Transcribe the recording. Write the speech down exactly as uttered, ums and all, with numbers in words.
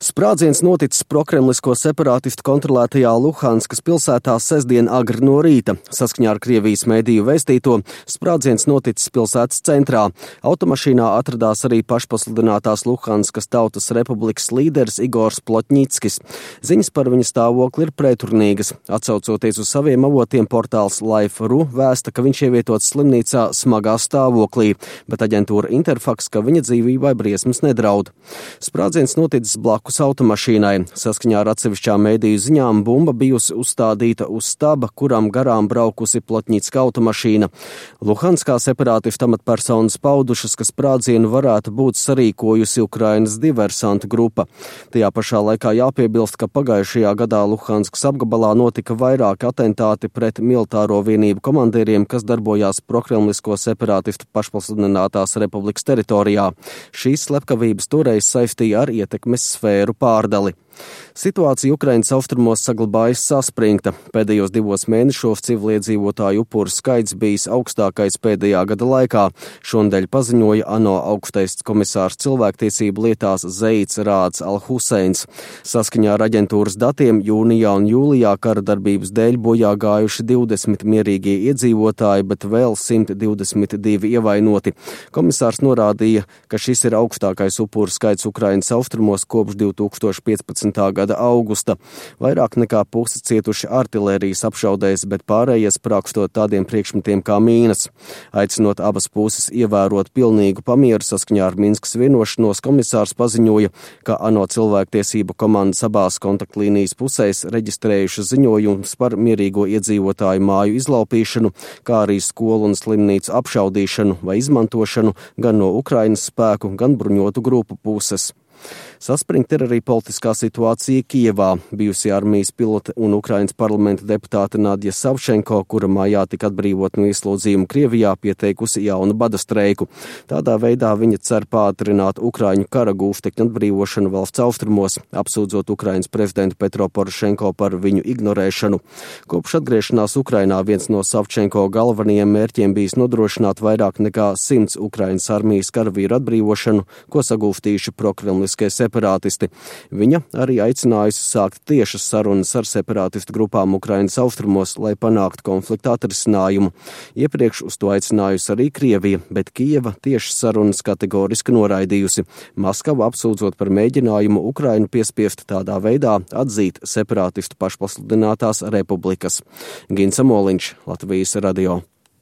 Sprādziens noticis prokremlisko separātistu kontrolētajā Luhanskas pilsētā sestdien agri no rīta. Saskaņā ar Krievijas mediju vēstīto, sprādziens noticis pilsētas centrā. Automašīnā atradās arī pašpasludinātās Luhanskas Tautas Republikas līderis Igors Plotņickis. Ziņas par viņa stāvokli ir preturnīgas. Atsaucoties uz saviem avotiem, portāls Life punkt ru vēsta, ka viņš ievietots slimnīcā smagā stāvoklī, bet aģentūra Interfax, ka viņa dzīvībai briesmas nedraud. Sprādziens noticis blakus automašīnai. Saskaņā ar atsevišķām mediju ziņām bumba bijusi uzstādīta uz staba, kuram garām braukusi Plotņicka automašīna. Luhanskā separātistu amatpersonas paudušas, ka sprādzienu varētu būt sarīkojusi Ukrainas diversantu grupa. Tajā pašā laikā jāpiebilst, ka pagājušajā gadā Luhanskas apgabalā notika vairāki atentāti pret militāro vienību komandieriem, kas darbojās prokremlisko separātistu pašpasludinātās republikas teritorijā. Šīs slepkavības toreiz saistīja ar ietekmes sfēru pārdali. Situācija Ukrainas austrumos saglabājas saspringta. Pēdējos divos mēnešos civiliedzīvotāju upuru skaits bijis augstākais pēdējā gada laikā. Šonedēļ paziņoja ANO augstais komisārs cilvēktiesību lietās Zeits Rāds Al-Huseins. Saskaņā ar aģentūras datiem jūnijā un jūlijā kara darbības dēļ bojā gājuši divdesmit mierīgie iedzīvotāji, bet vēl simt divdesmit divi ievainoti. Komisārs norādīja, ka šis ir augstākais upuru skaits Ukrainas austrumos kopš divi tūkstoši piecpadsmitā gada augusta. Vairāk nekā pusi cietuši artilērijas apšaudēs, bet pārējie sprākstot tādiem priekšmetiem kā mīnas. Aicinot abas puses ievērot pilnīgu pamieru saskaņā ar Minskas vienošanos, komisārs paziņoja, ka ANO cilvēktiesību komandas abās kontaktlīnijas pusēs reģistrējušas ziņojumus par mierīgo iedzīvotāju māju izlaupīšanu, kā arī skolu un slimnīcu apšaudīšanu vai izmantošanu gan no Ukrainas spēku, gan bruņotu grupu puses. Saspringta ir arī politiskā situācija Kijevā. Bijusī armijas pilote un Ukrainas parlamenta deputāte Nadja Savčenko, kura mājā tika atbrīvot no ieslodzījuma Krievijā, pieteikusi jaunu bada streiku. Tādā veidā viņa cer pātrināt Ukraiņu kara gūstekņu atbrīvošanu valsts austrumos, apsūdzot Ukrainas prezidentu Petro Porošenko par viņu ignorēšanu. Kopš atgriešanās Ukrainā viens no Savčenko galvenajiem mērķiem bijis nodrošināt vairāk nekā simts Ukrainas armijas karavīru atbrīvošanu, ko sagūstījuši prokremliskie separātisti. Viņa arī aicinājusi sākt tiešas sarunas ar separātistu grupām Ukrainas austrumos, lai panāktu konflikta atrisinājumu. Iepriekš uz to aicinājusi arī Krievija, bet Kijeva tiešas sarunas kategoriski noraidījusi. Maskava apsūdzot par mēģinājumu Ukrainu piespiest tādā veidā atzīt separātistu pašpasludinātās republikas. Gins Amoliņš, Latvijas radio.